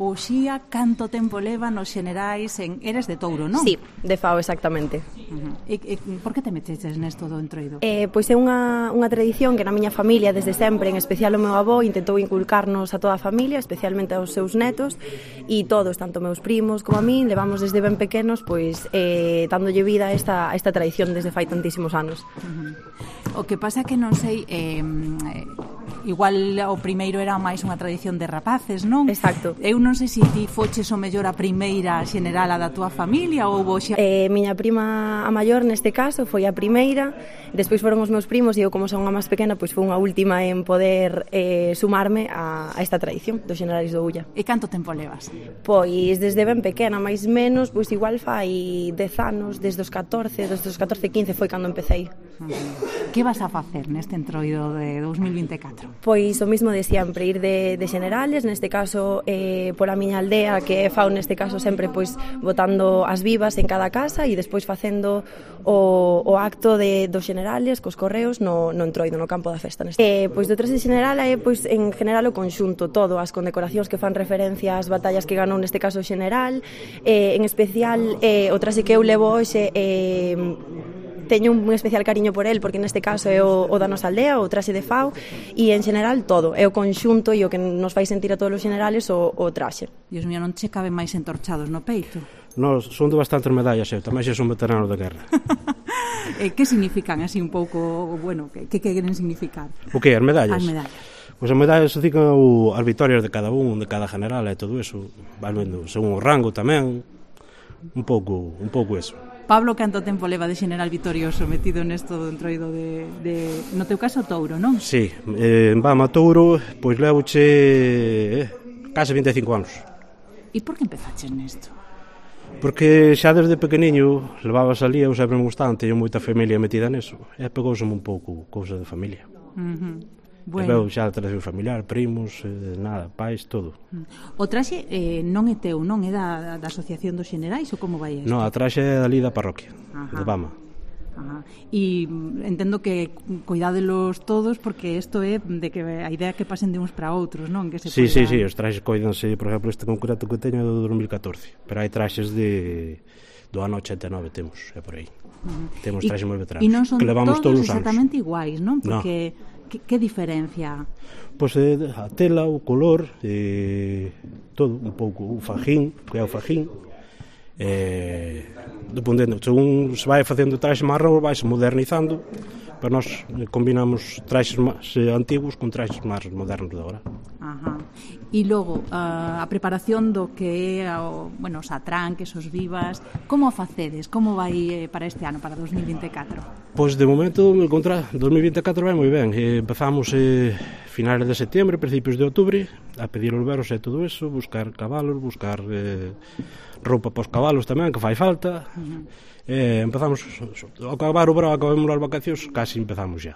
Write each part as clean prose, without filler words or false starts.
O Xía, canto tempo leva nos xenerais eres de Touro, non? Sí, de Fao, exactamente. E por que te meteches nesto do entroido? Pois é unha tradición que na miña familia desde sempre, en especial o meu avó, intentou inculcarnos a toda a familia, especialmente aos seus netos, e todos, tanto meus primos como a min, levamos desde ben pequenos pois dándolle vida a esta tradición desde fai tantísimos anos. O que pasa que non sei, igual o primeiro era máis unha tradición de rapaces, non? Exacto. Eu non sei se ti foches o mellor a primeira xenerala da túa familia ou xa... Miña prima a maior neste caso foi a primeira, despois foron os meus primos e eu como son a máis pequena pois foi unha última en poder sumarme a esta tradición dos xenerais do Ulla. E canto tempo levas? Pois desde ben pequena, máis menos, pois igual fai 10 anos, desde os 14, 15 foi cando empecéi. Que vas a facer neste entroido de 2024? Pois o mismo de sempre, ir de xenerales, neste caso pola miña aldea, que é Fao neste caso sempre pois botando as vivas en cada casa e despois facendo o acto dos xenerales cos correos no entroido, no campo da festa. Pois do traxe xeneral é pois en general o conxunto, todo, as condecoracións que fan referencia ás batallas que ganou neste caso o xeneral, en especial o traxe que eu levo hoxe teño un especial cariño por el porque neste caso é o da nosa aldea, o traxe de Fao e en general todo, é o conxunto e o que nos fai sentir a todos os generales o traxe. Dios mío, non che caben máis entorchados no peito? Nos son de bastantes medallas, eu tamén xe son veterano da guerra. Que significan así un pouco, bueno, que queren significar? O que, as medallas? As medallas. Pois as medallas significan as victorias de cada un, de cada general e todo eso, vas vendo, según o rango tamén, un pouco eso. Pablo, canto tempo leva de xeneral vitorioso metido nesto do entroido no teu caso Touro, non? Sí, en Bama Touro, pois levoche case 25 anos. E por que empezaches nesto? Porque xa desde pequeniño levaba salía, eu sempre me gustaba, teño moita familia metida neso, e pegouseme un pouco cousa de familia. Bueno. Xa a tradición familiar, primos, nada, pais, todo. O traxe non é teu, non é da Asociación dos Xenerais ou como vai isto? Non, a traxe é dali da parroquia, de Bama. E entendo que cuidádelos todos porque isto é de que a idea que pasen de uns para outros, non? Que se sí, os traxes coidanse, por exemplo, este concreto que teño é do 2014, pero hai traxes do ano 89 temos, é por aí. Temos traxes moi veteranos. E non son que levamos todos os exactamente iguais, non? Porque que diferencia? Pois a tela, o color, todo, un pouco o fajín, que é o fajín, dependendo, según se vai facendo traxe marrón, vai se modernizando, pero nós combinamos traxes máis antigos con traxes máis modernos de agora. E logo, a preparación do que é os atranques, os vivas, como a facedes? Como vai para este ano, para 2024? Pois de momento, 2024 vai moi ben. Empezamos finales de setembro, principios de outubro, a pedir os veros e todo eso, buscar cabalos, buscar roupa para os cabalos tamén, que fai falta. Empezamos, ao acabar o verão, acabamos as vacacións, casi empezamos xa.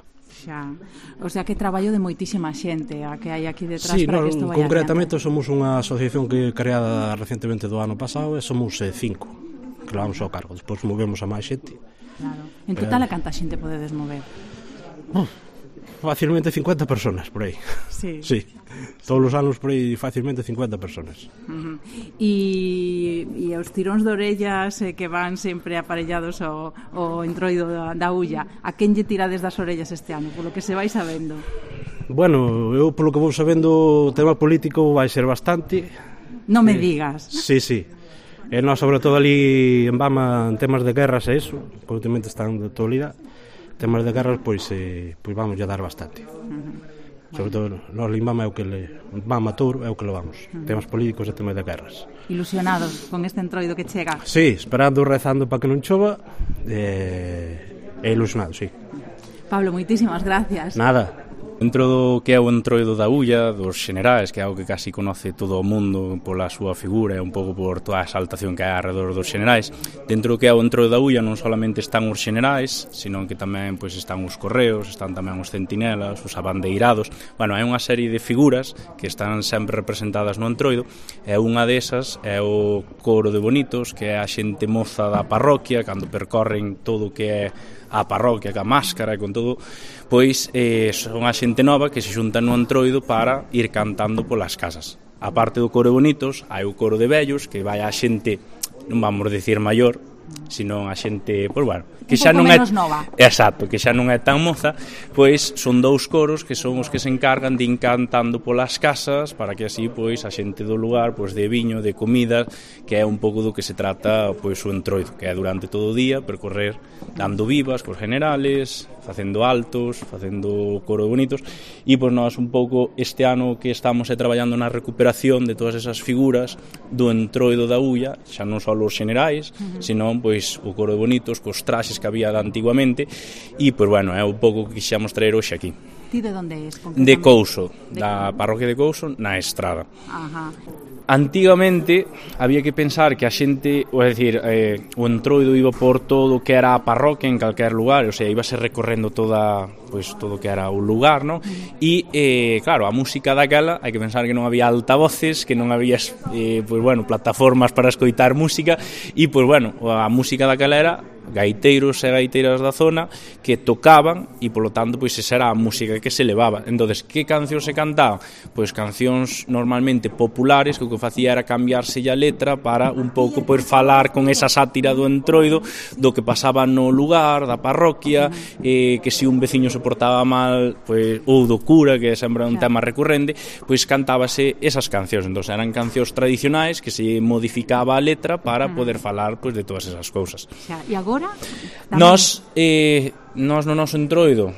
O sea que traballo de moitísima xente a que hai aquí detrás para que isto vai concretamente adiante. Somos unha asociación que creada recentemente do ano pasado e somos 5 que levamos ao cargo, despois movemos a máis xente. Claro. En total a canta xente podedes mover? Facilmente 50 personas por aí. Sí. Todos os anos por aí facilmente 50 personas. E os tiróns de orellas que van sempre aparellados ao entroido da Ulla, a quen lle tirades das orellas este ano, polo que se vai sabendo? Bueno, eu polo que vou sabendo o tema político vai ser bastante. Non me digas. Sí. E nós, sobre todo ali en Bama, en temas de guerras e iso, que últimamente están de actualidade, temas de guerras, pois vamos a dar bastante. Sobre todo, nós en Bama Bama Touro é o que levamos. Temas políticos e temas de guerras. Ilusionados con este entroido que chega? Sí, esperando, rezando para que non chova, e ilusionados, sí. Pablo, moitísimas gracias. Nada. Dentro do que é o entroido da Ulla, dos xenerais, que é algo que casi conoce todo o mundo pola súa figura e un pouco por toda a exaltación que hai alrededor dos xenerais, dentro do que é o entroido da Ulla non solamente están os xenerais, sino que tamén están os correos, están tamén os centinelas, os abandeirados. Bueno, hai unha serie de figuras que están sempre representadas no entroido, e unha desas é o coro de bonitos, que é a xente moza da parroquia, cando percorren todo o que é a parroquia, ca máscara e con todo, pois son a xente nova que se xunta no entroido para ir cantando polas casas. a parte do coro de bonitos, hai o coro de vellos, que vai a xente, non vamos dicir maior, senón a xente, pois bueno, que xa non é nova. Exacto, que xa non é tan moza, pois son 2 coros que son os que se encargan de ir cantando polas casas para que así pois a xente do lugar pois de viño, de comida, que é un pouco do que se trata pois o entroido, que é durante todo o día percorrer dando vivas cos generales, facendo altos, facendo coro bonitos, e pois nós un pouco este ano que estamos traballando na recuperación de todas esas figuras do entroido da Ulla, xa non só os generais, senón pois o coro de bonitos cos traxes que había antiguamente, e pois bueno, é un pouco que quixamos traer hoxe aquí. Ti de onde és? De Couso, da parroquia de Couso, na Estrada. Ajá. Antigamente había que pensar que a xente, ou é dicir, o entroido iba por todo o que era a parroquia en calquer lugar, o sea, íbase recorrendo toda, pois, todo o que era o lugar, ¿no? E, claro, a música daquela, hai que pensar que non había altavoces, que non había, pois, bueno, plataformas para escoitar música, e, pois, bueno, a música daquela era gaiteiros e gaiteiras da zona que tocaban e polo tanto pois esa era a música que se levaba. Entonces, que cancións se cantaban? Pois cancións normalmente populares que o que facía era cambiarse a letra para un pouco pois falar con esa sátira do entroido do que pasaba no lugar, da parroquia, que se un veciño se portaba mal, pois ou do cura, que é sempre un tema recurrente, pois cantábase esas cancións. Entonces, eran cancións tradicionais que se modificaba a letra para poder falar pois de todas esas cousas. E agora Nós no noso entroido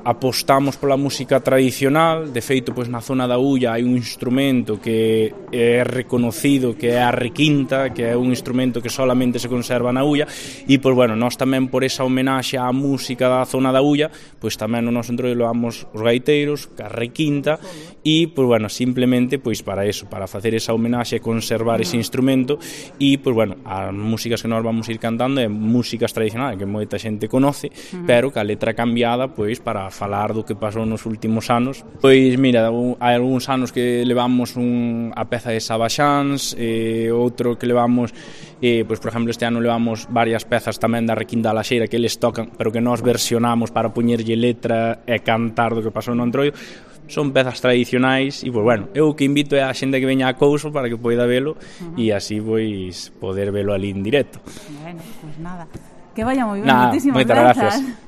apostamos pola música tradicional. De feito, pois na zona da Ulla hai un instrumento que é reconocido, que é a requinta, que é un instrumento que solamente se conserva na Ulla, e pois bueno, nós tamén por esa homenaxe á música da zona da Ulla, pois tamén no noso entroido levamos os gaiteiros, a requinta, e pois bueno, simplemente pois para eso, para facer esa homenaxe e conservar ese instrumento, e pois bueno, as músicas que nós vamos ir cantando é músicas tradicionais que moita xente conoce, pero que a letra cambiada pois para falar do que pasou nos últimos anos. Pois mira, hai algúns anos que levamos a peza de Sabaxáns, outro que levamos, pois por exemplo este ano levamos varias pezas tamén da Requinta da Laxeira que eles tocan, pero que nós versionamos para poñerlle letra e cantar do que pasou no entroido. Son pezas tradicionais e, pois, bueno, eu o que invito é a xente que veña a Couso para que poida velo e así, pois, poder velo ali en directo. Bueno, pois nada. Que vaya moi ben, Nada, moitísimas moitas grazas. gracias.